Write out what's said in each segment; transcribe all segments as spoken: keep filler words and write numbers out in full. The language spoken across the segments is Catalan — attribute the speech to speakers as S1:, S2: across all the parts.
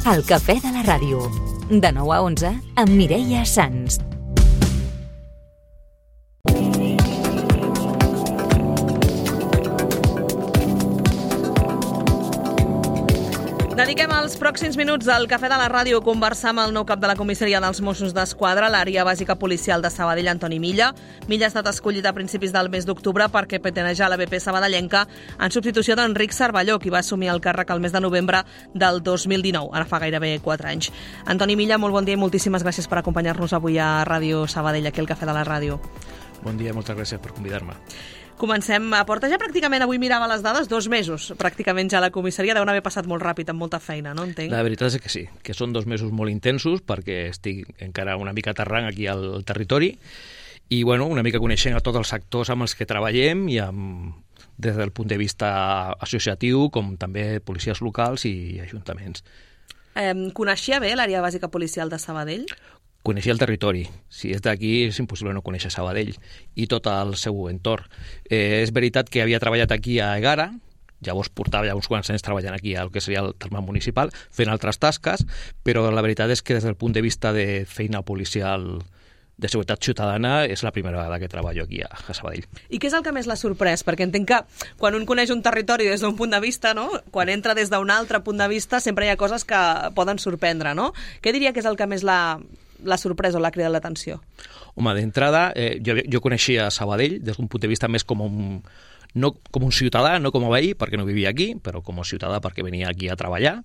S1: El Cafè de la Ràdio, de nou a onze, amb Mireia Sans.
S2: Dediquem els pròxims minuts al Cafè de la Ràdio a conversar amb el nou cap de la comissaria dels Mossos d'Esquadra, l'àrea bàsica policial de Sabadell, Antoni Milla. Milla ha estat escollit a principis del mes d'octubre perquè peteneja la B P sabadellenca en substitució d'Enric Cervelló, qui va assumir el càrrec el mes de novembre del dos mil dinou, ara fa gairebé quatre anys. Antoni Milla, molt bon dia i moltíssimes gràcies per acompanyar-nos avui a Ràdio Sabadell, aquí al Cafè de la Ràdio.
S3: Bon dia, moltes gràcies per convidar-me.
S2: Comencem. Porta ja pràcticament, avui mirava les dades, dos mesos pràcticament ja a la comissaria. Deuen haver passat molt ràpid, amb molta feina, no entenc?
S3: La veritat és que sí, que són dos mesos molt intensos perquè estic encara una mica aterrant aquí al territori i bueno, una mica coneixent a tots els sectors amb els que treballem i amb, des del punt de vista associatiu com també policies locals i ajuntaments.
S2: Eh, coneixia bé l'àrea bàsica policial de Sabadell?
S3: Coneixia el territori. Si és d'aquí és impossible no conèixer Sabadell i tot el seu entorn. Eh, és veritat que havia treballat aquí a Egara, llavors portava ja uns quants anys treballant aquí al que seria el terme municipal, fent altres tasques, però la veritat és que des del punt de vista de feina policial de seguretat ciutadana és la primera vegada que treballo aquí a Sabadell.
S2: I què és el que més l'ha sorprès? Perquè entenc que quan un coneix un territori des d'un punt de vista, no? Quan entra des d'un altre punt de vista sempre hi ha coses que poden sorprendre, no? Què diria que és el que més l'ha la sorpresa o l'ha cridat l'atenció?
S3: Home, d'entrada, eh, jo, jo coneixia Sabadell des d'un punt de vista més com un, no com un ciutadà, no com a veí, perquè no vivia aquí, però com a ciutadà perquè venia aquí a treballar.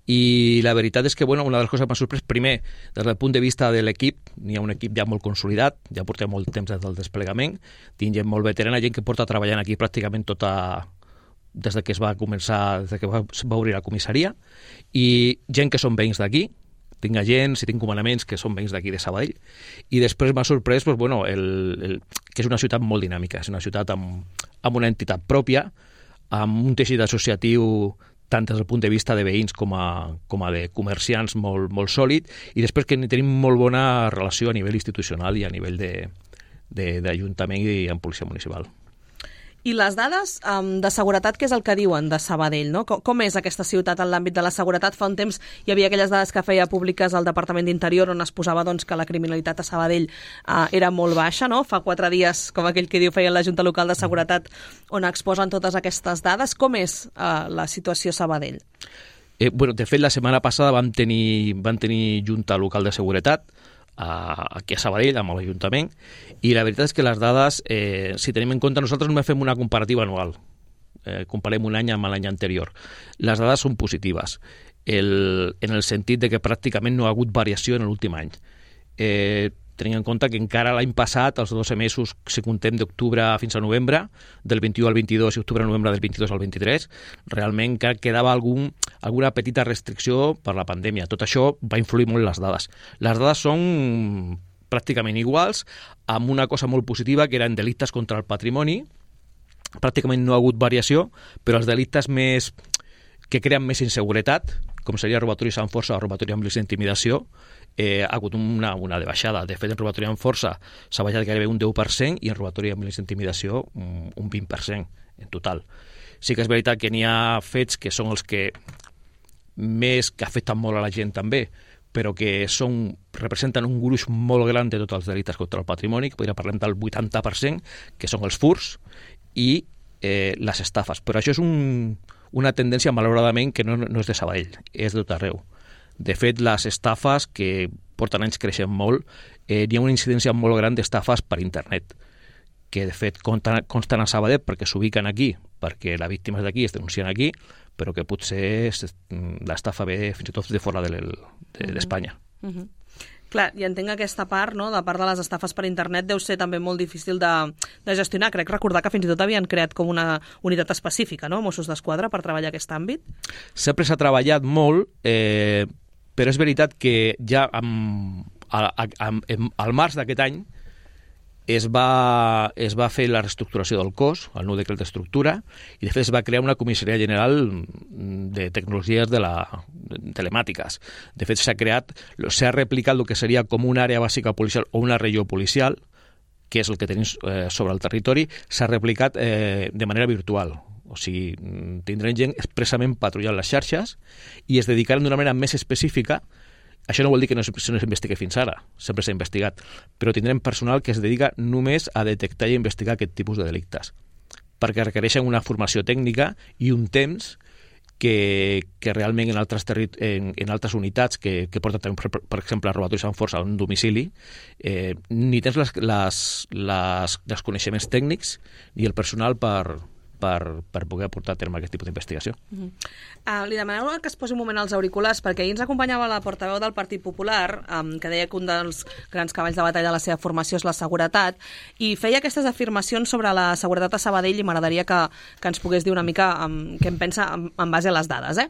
S3: I la veritat és que, bueno, una de les coses que m'ha sorprès, primer, des del punt de vista de l'equip, n'hi ha un equip ja molt consolidat, ja portem molt temps des del desplegament, tinc gent molt veterana, gent que porta treballant aquí pràcticament tota des de que es va començar, des de que va, va obrir la comissaria, i gent que són veïns d'aquí, tinc agents i tinc comandaments que són veïns d'aquí de Sabadell. I després m'ha sorprès pues, bueno, el, el, que és una ciutat molt dinàmica, és una ciutat amb, amb una entitat pròpia, amb un teixit associatiu tant des del punt de vista de veïns com a, com a de comerciants molt, molt sòlid, i després que tenim molt bona relació a nivell institucional i a nivell d'Ajuntament i en policia municipal.
S2: I les dades um, de seguretat, què és el que diuen de Sabadell, no? Com, com és aquesta ciutat en l'àmbit de la seguretat? Fa un temps hi havia aquelles dades que feia públiques al Departament d'Interior on es posava doncs, que la criminalitat a Sabadell uh, era molt baixa, no? Fa quatre dies, com aquell que diu, feien la Junta Local de Seguretat on exposen totes aquestes dades. Com és uh, la situació a Sabadell?
S3: Eh, bueno, de fet, la setmana passada vam tenir, vam tenir Junta Local de Seguretat aquí a Sabadell, amb l'Ajuntament, i la veritat és que les dades, eh, si tenim en compte, nosaltres només fem una comparativa anual, eh, comparem un any amb l'any anterior. Les dades són positives, el, en el sentit de que pràcticament no ha hagut variació en l'últim any. Eh, tenint en compte que encara l'any passat, els dotze mesos, si contem d'octubre fins a novembre, del vint-i-u al vint-i-dos i octubre-novembre del vint-i-dos al vint-i-tres, realment encara quedava algun, alguna petita restricció per la pandèmia. Tot això va influir molt en les dades. Les dades són pràcticament iguals, amb una cosa molt positiva, que eren delictes contra el patrimoni. Pràcticament no ha hagut variació, però els delictes més que creen més inseguretat, com seria robatoris amb força o robatori amb risc d'intimidació, eh, ha hagut una, una de baixada. De fet, en robatori amb força s'ha baixat gairebé un deu per cent i en robatori amb risc d'intimidació un, un vint per cent en total. Sí que és veritat que n'hi ha fets que són els que més que afecten molt a la gent també, però que són, representen un gruix molt gran de tots els delictes contra el patrimoni, que podria parlar del vuitanta per cent, que són els furts i eh, les estafes. Però això és un, una tendència, malauradament, que no, no és de Sabadell, és de tot arreu. De fet, les estafes, que porten anys creixent molt, eh, hi ha una incidència molt gran d'estafes per internet, que de fet consten, consten a Sabadell perquè s'ubiquen aquí, perquè la víctima és d'aquí, es denuncien aquí, però que potser l'estafa ve fins i tot de fora d'Espanya. De, de,
S2: uh -huh. Clar, i entenc aquesta part, no?, de part de les estafes per internet deu ser també molt difícil de, de gestionar. Crec recordar que fins i tot havien creat com una unitat específica, no?, Mossos d'Esquadra, per treballar aquest àmbit.
S3: Sempre s'ha treballat molt, eh, però és veritat que ja amb, a, a, a, al març d'aquest any es va, es va fer la reestructuració del cos, el nou decret d'estructura, i de fet es va crear una comissaria general de tecnologies de la, de telemàtiques. De fet s'ha creat, s'ha replicat el que seria com una àrea bàsica policial o una regió policial, que és el que tenim eh, sobre el territori, s'ha replicat eh, de manera virtual. O sigui, tindrem gent expressament patrullant les xarxes i es dedicaran d'una manera més específica. Això no vol dir que no s'investigui fins ara, sempre s'ha investigat, però tindrem personal que es dedica només a detectar i investigar aquest tipus de delictes, perquè requereixen una formació tècnica i un temps que, que realment en altres, en, en altres unitats que, que porten, per, per exemple, robatoris amb força a un domicili, eh, ni tens les, les, les, els coneixements tècnics ni el personal per... Per, per poder portar a terme aquest tipus d'investigació.
S2: Uh-huh. Uh, li demaneu que es posi un moment als auriculars, perquè ahir ens acompanyava la portaveu del Partit Popular, um, que deia que un dels grans cavalls de batalla de la seva formació és la seguretat, i feia aquestes afirmacions sobre la seguretat a Sabadell, i m'agradaria que, que ens pogués dir una mica um, què en pensa en, en base a les dades, eh?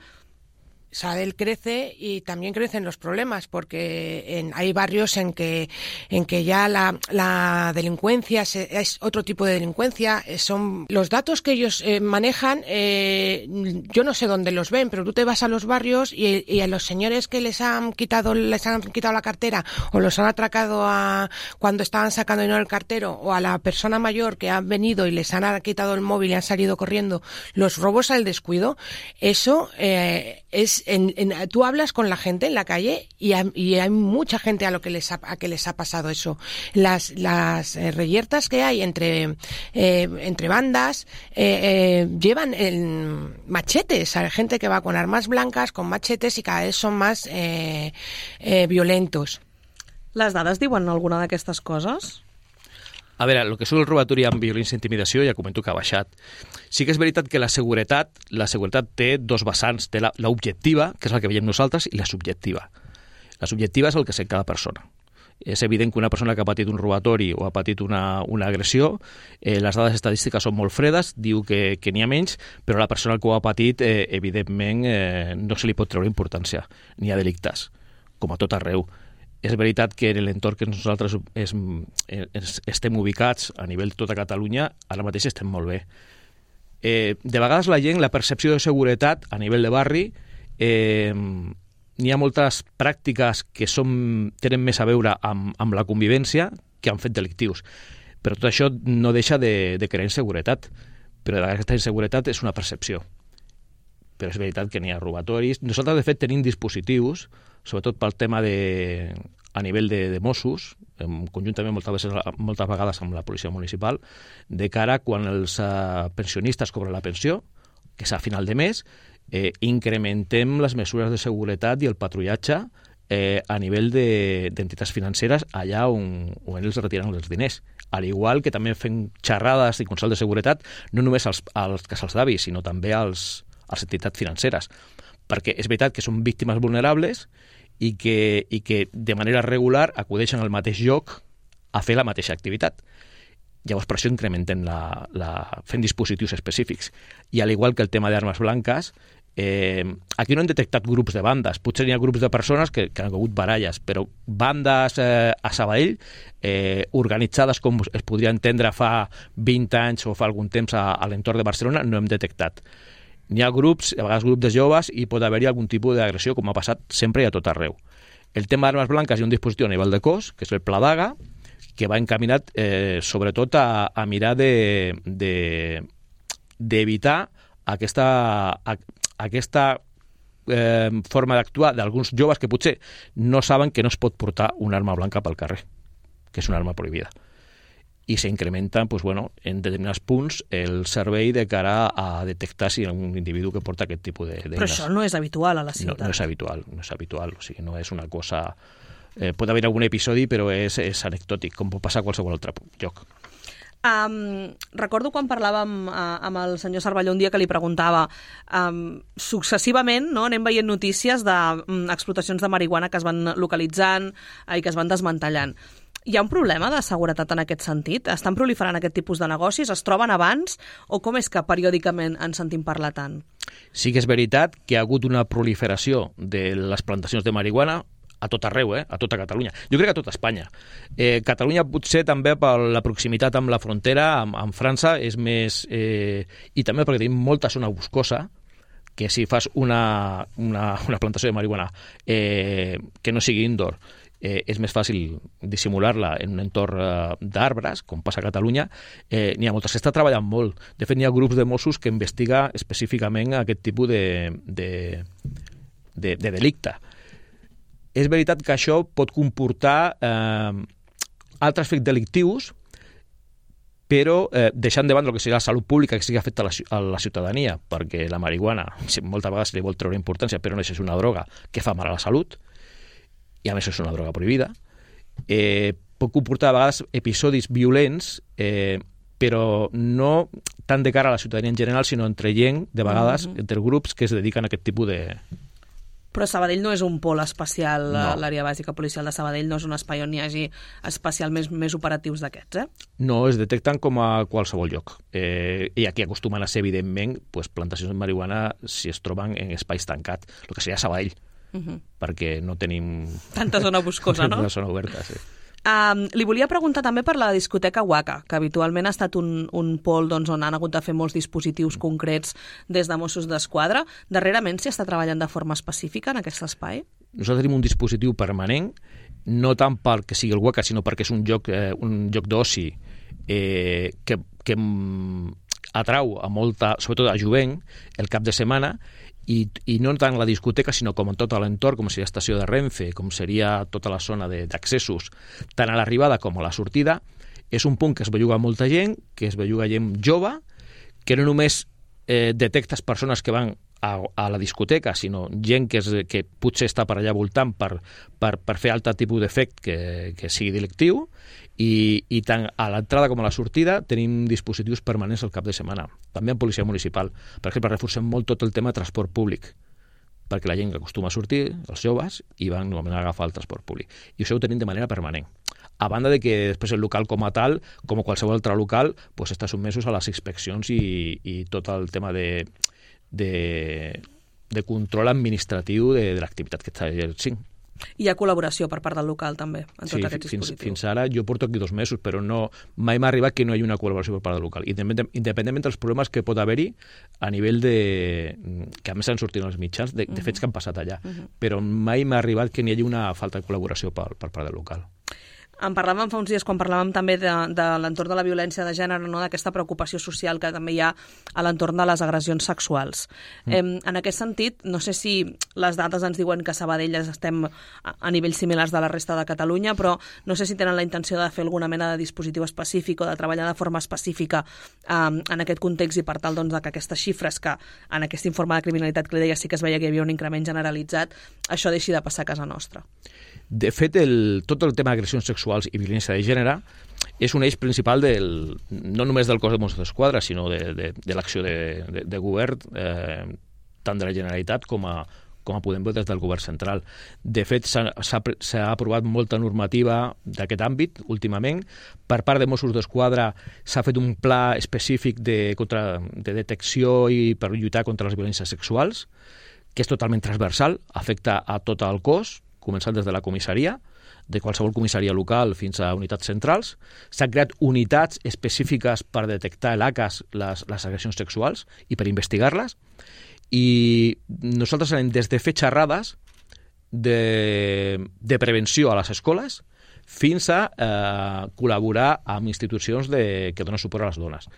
S4: Sabadell crece y también crecen los problemas, porque en, hay barrios en que en que ya la, la delincuencia se, es otro tipo de delincuencia. Son los datos que ellos eh, manejan. Eh, yo no sé dónde los ven, pero tú te vas a los barrios y, y a los señores que les han quitado les han quitado la cartera o los han atracado a, cuando estaban sacando dinero del cartero, o a la persona mayor que han venido y les han quitado el móvil y han salido corriendo, los robos al descuido. Eso eh, es En, en, tú hablas con la gente en la calle y, a, y hay mucha gente a lo que les ha, a que les ha pasado eso. Las, las eh, reyertas que hay entre, eh, entre bandas eh, eh, llevan el, machetes, hay gente que va con armas blancas, con machetes, y cada vez son más eh, eh, violentos.
S2: Les dades diuen alguna d'aquestes coses?
S3: A veure, el que és el robatori amb violència i intimidació ja comento que ha baixat. Sí que és veritat que la seguretat, la seguretat té dos vessants, té l'objectiva, que és el que veiem nosaltres, i la subjectiva. La subjectiva és el que sent cada persona. És evident que una persona que ha patit un robatori o ha patit una, una agressió, eh, les dades estadístiques són molt fredes, diu que, que n'hi ha menys, però la persona que ho ha patit, eh, evidentment, eh, no se li pot treure importància. N'hi ha delictes, com a tot arreu. És veritat que en l'entorn que nosaltres és, és, estem ubicats a nivell de tota Catalunya, ara mateix estem molt bé. Eh, de vegades la gent, la percepció de seguretat a nivell de barri, eh, n'hi ha moltes pràctiques que són, tenen més a veure amb, amb la convivència que amb fets delictius. Però tot això no deixa de, de crear inseguretat. Però aquesta inseguretat és una percepció. Però és veritat que n'hi ha robatoris. Nosaltres, de fet, tenim dispositius, sobretot pel tema de, a nivell de, de Mossos, conjuntament moltes vegades, moltes vegades amb la policia municipal, de cara quan els uh, pensionistes cobren la pensió, que és a final de mes, eh, incrementem les mesures de seguretat i el patrullatge eh, a nivell d'entitats de, financeres allà on, on ells retiren els diners. Al igual que també fem xerrades i consell de seguretat, no només als, als casals d'avis, sinó també als, a les entitats financeres, perquè és veritat que són víctimes vulnerables i que, i que de manera regular acudeixen al mateix lloc a fer la mateixa activitat. Llavors, per això incrementem la, la, fent dispositius específics. I al igual que el tema d'armes blanques, eh, aquí no hem detectat grups de bandes, potser hi ha grups de persones que, que han hagut baralles, però bandes eh, a Sabadell eh, organitzades com es podria entendre fa vint anys o fa algun temps a, a l'entorn de Barcelona, no hem detectat. N'hi ha grups, a vegades grups de joves, i pot haver-hi algun tipus d'agressió, com ha passat sempre i a tot arreu. El tema d'armes blanques hi ha un dispositiu a nivell de cos, que és el Pla Daga, que va encaminat eh, sobretot a, a mirar de, de, d'evitar aquesta, a, aquesta eh, forma d'actuar d'alguns joves que potser no saben que no es pot portar una arma blanca pel carrer, que és una arma prohibida. I s'incrementa, pues, bueno, en determinats punts el servei de cara a detectar si hi ha un individu que porta aquest tipus de...
S2: Però això no és habitual a la ciutat.
S3: No, no és habitual, no és habitual, o sigui, no és una cosa... Eh, pot haver algun episodi, però és, és anecdòtic, com pot passar a qualsevol altre lloc.
S2: Um, recordo quan parlàvem uh, amb el senyor Cervelló un dia que li preguntava um, successivament, no, anem veient notícies d'explotacions de, um, de marihuana que es van localitzant uh, i que es van desmantellant. Hi ha un problema de seguretat en aquest sentit? Estan proliferant aquest tipus de negocis? Es troben abans? O com és que periòdicament en sentim parlar tant?
S3: Sí que és veritat que hi ha hagut una proliferació de les plantacions de marihuana a tot arreu, eh? A tota Catalunya. Jo crec que a tota Espanya. Eh, Catalunya potser també per la proximitat amb la frontera, amb, amb França, és més... Eh, i també perquè tenim molta zona boscosa, que si fas una, una, una plantació de marihuana eh, que no sigui indoor, eh, és més fàcil dissimular-la en un entorn eh, d'arbres, com passa a Catalunya. Eh, n'hi ha moltes, s'està treballant molt. De fet, n'hi ha grups de Mossos que investiga específicament aquest tipus de, de, de, de delicte. És veritat que això pot comportar eh, altres fets delictius, però eh, deixant de banda el que seria la salut pública, que sigui afecta a la, a la ciutadania, perquè la marihuana moltes vegades se li vol treure importància, però no és una droga que fa mal a la salut, i a més és una droga prohibida, eh, pot comportar a vegades episodis violents, eh, però no tant de cara a la ciutadania en general, sinó entre gent, de vegades, mm-hmm. entre grups que es dediquen a aquest tipus de...
S2: Però Sabadell no és un pol especial,
S3: no.
S2: L'àrea bàsica policial de Sabadell no és un espai on hi hagi especialment més operatius d'aquests, eh?
S3: No, es detecten com a qualsevol lloc. Eh, I aquí acostumen a ser, evidentment, pues, plantacions de marihuana si es troben en espais tancats, el que seria Sabadell, uh-huh. perquè no tenim...
S2: Tanta zona boscosa, no?
S3: Tanta zona oberta, sí.
S2: Um, li volia preguntar també per la discoteca Waka, que habitualment ha estat un, un pol doncs, on han hagut de fer molts dispositius concrets des de Mossos d'Esquadra. Darrerament s'hi està treballant de forma específica en aquest espai?
S3: Nosaltres tenim un dispositiu permanent, no tant perquè sigui el Waka, sinó perquè és un lloc, eh, un lloc d'oci eh, que, que atrau a molta, sobretot a jovent, el cap de setmana, I, i no tant la discoteca, sinó com en tot l'entorn, com seria estació de Renfe, com seria tota la zona d'accessos, tant a l'arribada com a la sortida. És un punt que es belluga molta gent, que es belluga gent jove, que no només eh, detectes persones que van a, a la discoteca, sinó gent que, és, que potser està per allà voltant per, per, per fer altre tipus d'efecte que, que sigui delictiu, i, i tant a l'entrada com a la sortida tenim dispositius permanents al cap de setmana, també en policia municipal. Per exemple, reforcem molt tot el tema de transport públic, perquè la gent que acostuma a sortir, els joves, i van normalment a agafar el transport públic. I això ho tenim de manera permanent. A banda de que després el local com a tal, com qualsevol altre local, pues, està sotmesos a les inspeccions i, i tot el tema de, de, de control administratiu de, de l'activitat que està exercint.
S2: Hi ha col·laboració per part del local, també, en
S3: sí,
S2: tots aquests
S3: fins,
S2: dispositius.
S3: Fins ara, jo porto aquí dos mesos, però no, mai m'ha arribat que no hi hagi una col·laboració per part del local, independentment dels problemes que pot haver-hi a nivell de... que a més han sortit els mitjans, de, de fets que han passat allà. Uh-huh. Però mai m'ha arribat que n'hi hagi una falta de col·laboració per, per part del local.
S2: En parlàvem fa uns dies quan parlàvem també de, de l'entorn de la violència de gènere, no? D'aquesta preocupació social que també hi ha a l'entorn de les agressions sexuals. Mm. Eh, en aquest sentit, no sé si les dades ens diuen que a Sabadell estem a, a nivells similars de la resta de Catalunya, però no sé si tenen la intenció de fer alguna mena de dispositiu específic o de treballar de forma específica eh, en aquest context i per tal doncs, que aquestes xifres que en aquest informe de criminalitat que li deia sí que es veia que hi havia un increment generalitzat, això deixi de passar a casa nostra.
S3: De fet, el, tot el tema d'agressions sexuals i violència de gènere és un eix principal del, no només del cos de Mossos d'Esquadra, sinó de, de, de l'acció de, de, de govern, eh, tant de la Generalitat com a, com a podem veure des del govern central. De fet, s'ha aprovat molta normativa d'aquest àmbit últimament. Per part de Mossos d'Esquadra s'ha fet un pla específic de, contra, de detecció i per lluitar contra les violències sexuals, que és totalment transversal, afecta a tot el cos, començant des de la comissaria, de qualsevol comissaria local fins a unitats centrals. S'han creat unitats específiques per detectar l'A C A S, les, les agressions sexuals, i per investigar-les. I nosaltres anem des de fer xerrades de, de prevenció a les escoles fins a eh, col·laborar amb institucions de, que donen suport a les dones.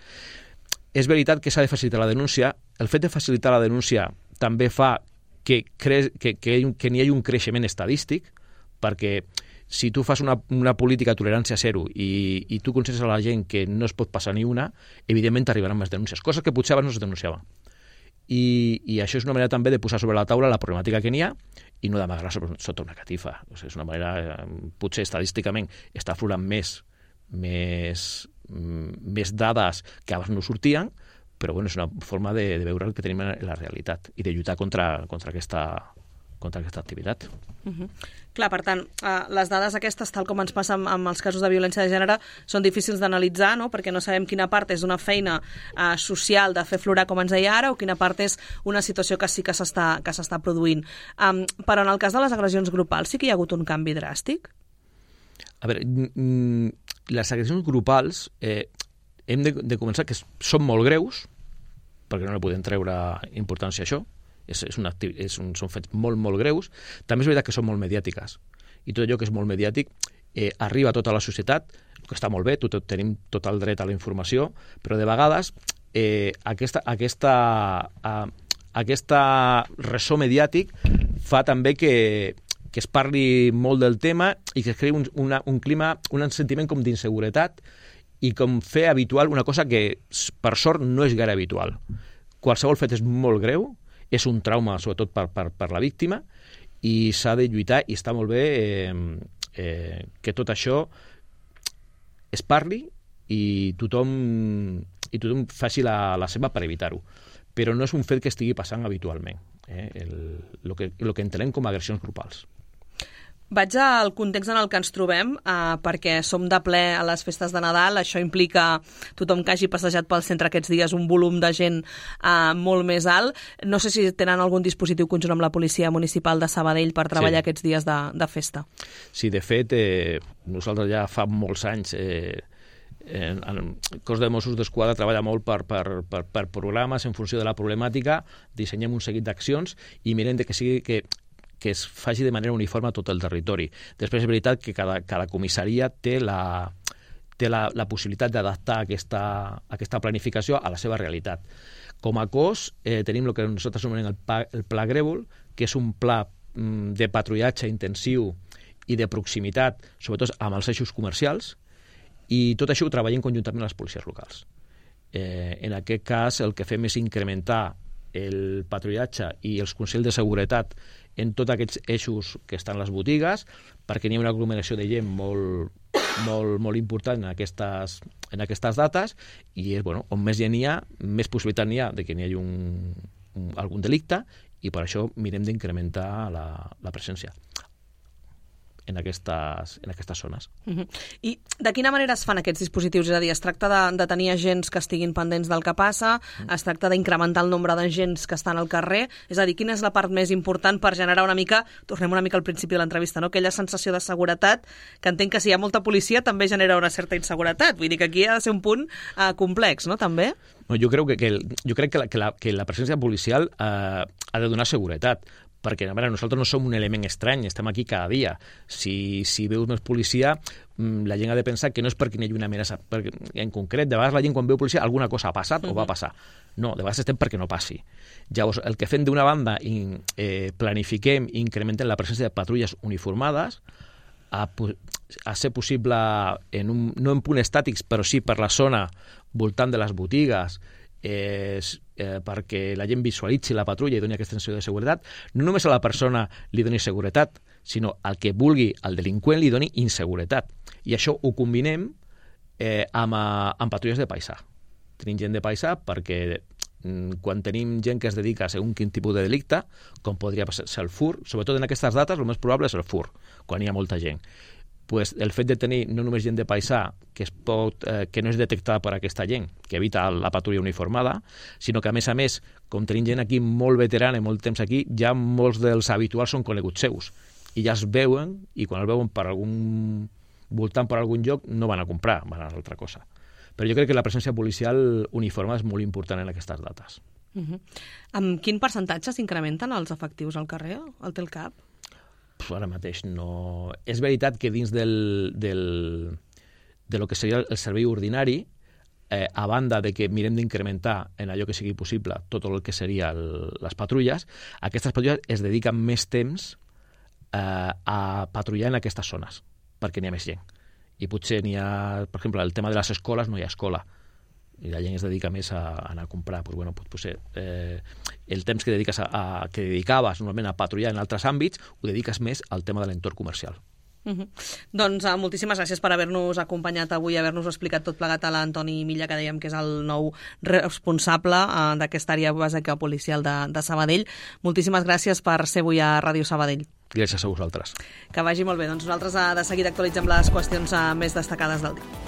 S3: És veritat que s'ha de facilitar la denúncia. El fet de facilitar la denúncia també fa que, cre que, que, que n'hi hagi un creixement estadístic, perquè si tu fas una, una política de tolerància zero i, i tu consenses a la gent que no es pot passar ni una, evidentment t'arribaran més denúncies, coses que potser abans no es denunciava. I, i això és una manera també de posar sobre la taula la problemàtica que n'hi ha i no d'amagar-la sota una catifa. O sigui, és una manera, potser estadísticament està aflorant més, més, més dades que abans no sortien, però bueno, és una forma de, de veure el que tenim en la realitat i de lluitar contra, contra, aquesta, contra aquesta activitat.
S2: Uh-huh. Clar, per tant, eh, les dades aquestes, tal com ens passa amb, amb els casos de violència de gènere, són difícils d'analitzar, no? Perquè no sabem quina part és una feina eh, social de fer florar, com ens deia ara, o quina part és una situació que sí que s'està que s'està produint. Um, però en el cas de les agressions grupals sí que hi ha hagut un canvi dràstic?
S3: A veure, les agressions grupals... Eh, hem de, de començar que són molt greus, perquè no li podem treure importància a això, és, és una, és un, són fets molt, molt greus. També és veritat que són molt mediàtiques i tot allò que és molt mediàtic eh, arriba a tota la societat, que està molt bé, tot, tenim tot el dret a la informació, però de vegades eh, aquesta, aquesta, eh, aquesta ressò mediàtic fa també que, que es parli molt del tema i que es creï un, una, un clima, un sentiment com d'inseguretat i com fer habitual una cosa que, per sort, no és gaire habitual. Qualsevol fet és molt greu, és un trauma, sobretot per, per, per la víctima, i s'ha de lluitar, i està molt bé eh, eh, que tot això es parli i tothom, i tothom faci la, la seva per evitar-ho. Però no és un fet que estigui passant habitualment, eh? el, el, que, el que entenem com a agressions grupals.
S2: Vaig al context en el que ens trobem, eh, perquè som de ple a les festes de Nadal. Això implica tothom que hagi passejat pel centre aquests dies un volum de gent eh, molt més alt. No sé si tenen algun dispositiu conjunt amb la Policia Municipal de Sabadell per treballar sí. aquests dies de, de festa.
S3: Sí, de fet, eh, nosaltres ja fa molts anys... Eh, En, en el cos de Mossos d'Esquadra treballa molt per, per, per, per programes en funció de la problemàtica, dissenyem un seguit d'accions i mirem de que sigui que, que es faci de manera uniforme a tot el territori. Després és veritat que cada, cada comissaria té la, té la, la possibilitat d'adaptar aquesta, aquesta planificació a la seva realitat. Com a cos eh, tenim el que nosaltres anomenem el, pa, el Pla Grèvol, que és un pla mm, de patrullatge intensiu i de proximitat, sobretot amb els eixos comercials, i tot això ho treballem conjuntament amb les policies locals. Eh, en aquest cas, el que fem és incrementar el patrullatge i els consells de seguretat en tots aquests eixos que estan a les botigues, perquè n'hi ha una aglomeració de gent molt, molt, molt important en aquestes, en aquestes dates, i és, bueno, on més gent hi ha, més possibilitat n'hi ha de que n'hi hagi un, un, algun delicte, i per això mirem d'incrementar la, la presència en aquestes, en aquestes zones.
S2: Uh-huh. I de quina manera es fan aquests dispositius? És a dir, es tracta de, de tenir agents que estiguin pendents del que passa, uh-huh. es tracta d'incrementar el nombre d'agents que estan al carrer, és a dir, quina és la part més important per generar una mica, tornem una mica al principi de l'entrevista, no? Aquella sensació de seguretat, que entenc que si hi ha molta policia també genera una certa inseguretat, vull dir que aquí ha de ser un punt uh, complex, no?, també?
S3: No, jo crec que, que, jo crec que, la, que, la, que la presència policial uh, ha de donar seguretat, perquè a veure, nosaltres no som un element estrany, estem aquí cada dia. Si, si veus més policia, la gent ha de pensar que no és perquè hi hagi una amenaça. Perquè, en concret, de vegades la gent quan veu policia alguna cosa ha passat uh-huh. o va passar. No, de vegades estem perquè no passi. Llavors, el que fem d'una banda, in, eh, planifiquem i incrementem la presència de patrulles uniformades, a, a ser possible, en un, no en punts estàtics, però sí per la zona voltant de les botigues, Eh, eh, perquè la gent visualitzi la patrulla i doni aquesta sensació de seguretat, no només a la persona li doni seguretat, sinó al que vulgui, al delinqüent li doni inseguretat. I això ho combinem eh, amb, amb patrulles de paisà. Tenim gent de paisà perquè mm, quan tenim gent que es dedica a segon quin tipus de delicte, com podria ser el fur, sobretot en aquestes dates, el més probable és el fur, quan hi ha molta gent. Pues el fet de tenir no només gent de paisà que, es pot, eh, que no és detectada per aquesta gent, que evita la patrulla uniformada, sinó que, a més a més, com tenim gent aquí molt veterana i molt temps aquí, ja molts dels habituals són coneguts seus. I ja es veuen, i quan el veuen per algun voltant per algun lloc, no van a comprar, van a altra cosa. Però jo crec que la presència policial uniformada és molt important en aquestes dates.
S2: Uh-huh. Amb quin percentatge s'incrementen els efectius al carrer? El té el cap?
S3: Ara mateix no... És veritat que dins del, del, de lo que seria el servei ordinari, eh, a banda de que mirem d'incrementar en allò que sigui possible tot el que seria el, les patrulles, aquestes patrulles es dediquen més temps eh, a patrullar en aquestes zones, perquè n'hi ha més gent. I potser n'hi ha, per exemple, el tema de les escoles, no hi ha escola, i la gent es dedica més a, a anar a comprar. Pues bueno, pues, pues, eh, el temps que dediques a, a, que dedicaves normalment a patrullar en altres àmbits, ho dediques més al tema de l'entorn comercial.
S2: Uh-huh. Doncs uh, moltíssimes gràcies per haver-nos acompanyat avui, haver-nos explicat tot plegat a l'Antoni Milla, que dèiem que és el nou responsable uh, d'aquesta àrea bàsica policial de, de Sabadell. Moltíssimes gràcies per ser avui a Ràdio Sabadell.
S3: Gràcies a vosaltres.
S2: Que vagi molt bé. Doncs nosaltres uh, de seguida actualitzem les qüestions uh, més destacades del dia.